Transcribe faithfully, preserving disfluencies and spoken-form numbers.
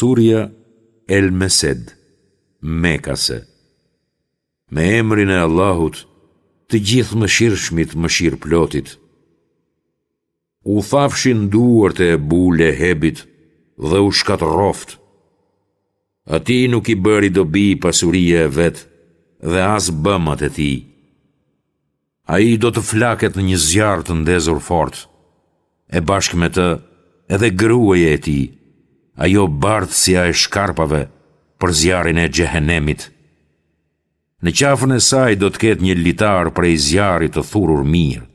Surja El Mesed, Mekase. Me emrin e Allahut, të Gjithëmëshirshmit, mëshirëplotit. U thafshin duart e Ebu Lehebit dhe u shkatërroftë. Atij nuk i bëri dobi pasuria e vet dhe as bëmat e tij. Ai do të flaket në një zjarr të ndezur fort, e bashkë me të edhe gruaja e tij, ajo bartësja e shkarpave për zjarrin e xhehenemit. Në qafën e saj do të ketë një litar prej zjarri të thurur mirë.